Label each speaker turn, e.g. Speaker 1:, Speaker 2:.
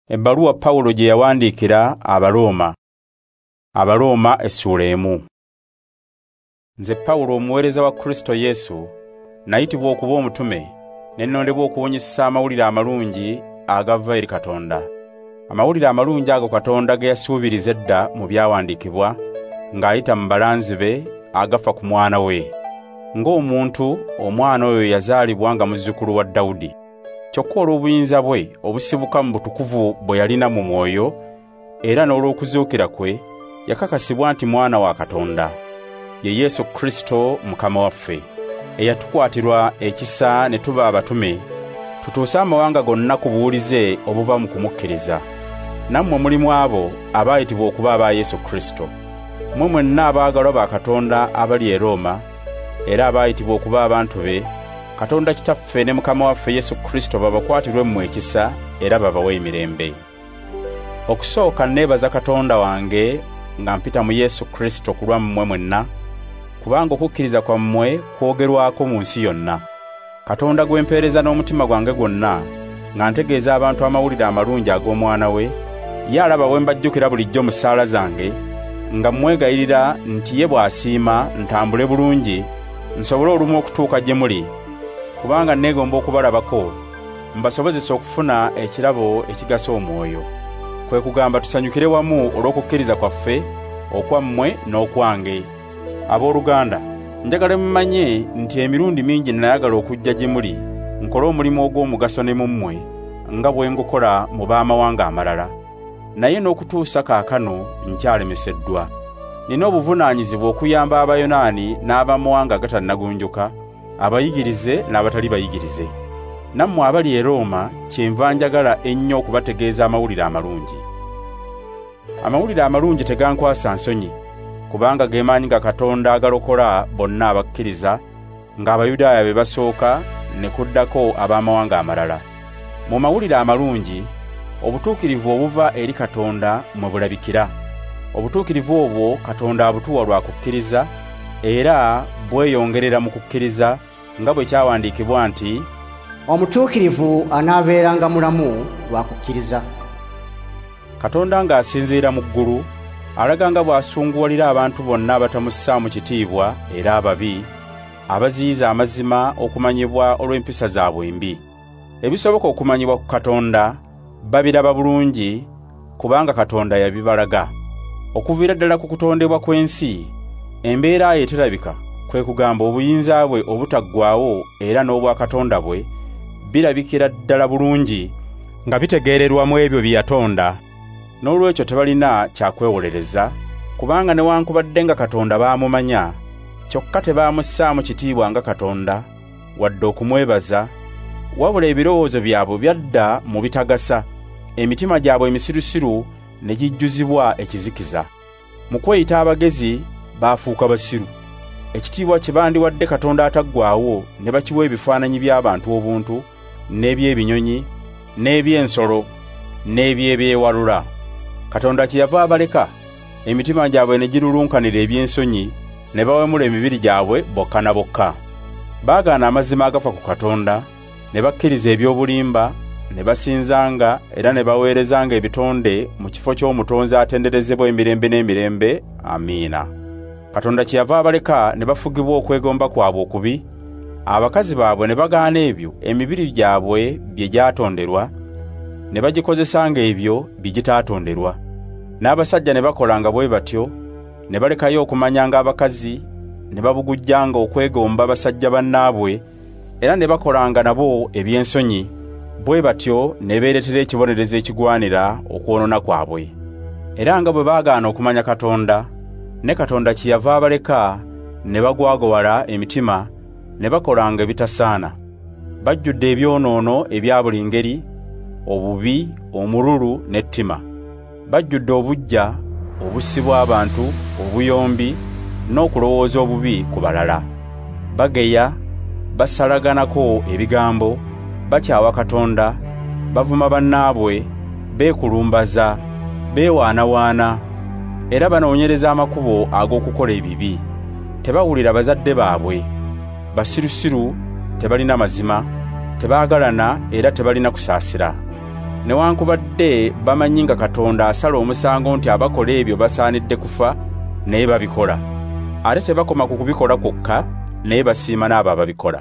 Speaker 1: Ebbaluwa Pawulo gye yawandiikira Abarooma. Abarooma essuula 1. Nze Pawulo omuweereza wa Kristo Yesu, nayitibwa okuba omutume, ne nnondebwa okubunyisa amawulire amalungi agava eri Katonda. Amawulire amalungi ago Katonda ge yasuubiriza edda mu byawandiikibwa ng'ayita mu balanzi be agafa ku mwana we. Ng'omuntu, omwana oyo yazaalibwa nga muzzukulu wa Dawudi. Kyokka olw'obuyinza bwe obusibuka mu butukuvu bwe yalina mu mwoyo, era n'olw'okuzuukira kwe, yakakasibwa nti mwana wa Katonda. Ye Yesu Kristo Mukama waffe, eyatukwatirwa ekisa ne tuba abatume, tutuuse amawanga gonna ku buwulize obuva mu kumukkiriza. Nammwe mulimu abo abaayitibwa okuba aba Yesu Kristo. Mmwe mwenna abaagalwa ba Katonda abali e Rooma, era abaayitibwa okuba abantu be, Katonda Kitaffe ne Mukama waffe Yesu Kristo babakwatirwe mmwe ekisa era babawe emirembe. Okusooka neebaza Katonda wange nga mpita mu Yesu Kristo ku lwammwe mwenna, kubanga okukkiriza kwammwe kwogerwako mu nsi yonna. Katonda gwe mpeereza n'omutima gwange gwonna, nga ntegeeza abantu amawulire amalungi ag'omwana we, ye alaba bwe mbajjukira bulijjo mu ssaala zange, nga mmwegayirira nti ye bw'asiima ntambule bulungi, nsobole olumu okutuuka gye muli, kubanga neegomba okubalabako, mbasobozese okufuna ekirabo ekigasa omwoyo. Kwe kugamba tusanyukire wamu olw'okukkiriza kwaffe, okwammwe n'okwange. Abooluganda, njagala mumanye nti emirundi mingi nayagala okujja gye muli, nkole omulimu ogw'omugaso ne mu mmwe, nga bwe ngukola mu b'amawanga amalala. Naye n'okutuusa kaakano nkyalemeseddwa. Nina obuvunaanyizibwa okuyamba Abayonaani n'abamawanga agatannagunjuka, abayigirize n'abatali bayigirize. Nammwe abali e Rooma kyenva njagala ennyo okubategeeza amawulire amalungi. Amawulire amalungi tegankwasa nsonyi, kubanga ge maanyi ga Katonda agalokola bonna abakkiriza, ng'Abayudaaya be basooka ne kuddako ab'amawanga amalala. Mu mawulire amalungi, obutuukirivu obuva eri Katonda mwe bulabikira. Obutuukirivu obwo Katonda abutuwa lwa kukkiriza, era bweyongerera mu kukkiriza nga bwe kyawandiikibwa nti,
Speaker 2: omutuukirivu anaabeeranga mulamu lwa kukkiriza.
Speaker 1: Katonda ng'asinziira mu ggulu, alaga nga bw'asunguwalira abantu bonna abatamussaamu kitiibwa era ababi, abaziyiza amazima okumanyibwa olw'empisa zaabwe embi. Ebisoboka okumanyibwa ku Katonda babiraba bulungi, kubanga Katonda yabibalaga. Okuviira ddala ku kutondebwa kw'ensi, embeera ye terabika, kwe kugamba obuyinza bwe obutaggwaawo era n'obwakatonda bwe birabikira ddala bulungi nga bitegeererwa mu ebyo bye yatonda. N'olwekyo tebalina kya kwewolereza, kubanga newankubadde nga Katonda baamumanya, kyokka tebaamussaamu kitiibwa nga Katonda, wadde okumwebaza, wabula ebirowoozo byabwe byadda mu bitagasa, emitima gyabwe emisirusiru ne gijjuzibwa ekizikiza. Mu kweyita abagezi baafuuka basiru. Ekitiibwa kye bandiwadde Katonda ataggwaawo ne bakiwa ebifaananyi by'abantu obuntu, n'eby'ebinyonyi, n'eby'ensolo, n'eby'ebyewalula. Katonda kyeyava abaleka, emitima gyabwe ne girulunkanira eby'ensonyi, ne bawemula emibiri gyabwe bokka na bokka. Baagaana amazima agafa ku Katonda, ne bakkiriza eby'obulimba, ne basinzanga era ne baweerezanga ebitonde mu kifo ky'omutonzi atenderezebwa emirembe n'emirembe. Amiina. Katonda kyeyava abaleka ne bafugibwa okwegomba kwabwe okubi, abakazi baabwe ne bagaana ebyo emibiri gyabwe bye gyatonderwa, ne bagikozesanga ebyo bye gitaatonderwa. N'abasajja ne bakolanga bwe batyo, ne balekayo okumanyanga abakazi, ne babugujjanga okwegomba basajja bannaabwe, era ne bakolanga nabo eby'ensonyi, bwe batyo ne beereetera ekibonerezo ekigwanira okwonoona kwabwe. Era nga bwe baagaana okumanya Katonda, ne Katonda kyeyava abaleka ne bagwagwala emitima, ne bakolanga ebitasaana. Bajjudde ebyonoono ebya buli ngeri, obubi, omululu n'ettima. Bajjudde obuggya, obussi bw'abantu, obuyombi n'okulowooza obubi ku balala. Bageya, basalaganako ebigambo, bakyawa Katonda, bavuma bannaabwe, beekulumbaza, beewaanawaana, era banoonyereza amakubo ag'okukola ebibi. Tebawulira bazadde baabwe, basirusiru, tebalina mazima, tebaagalana era tebalina kusaasira. Newankubadde bamanyi nga Katonda asala omusango nti abakola ebyo basaanidde kufa, naye babikola. Ate tebakoma ku kubikola kwokka, naye basiima n'abo ababikola.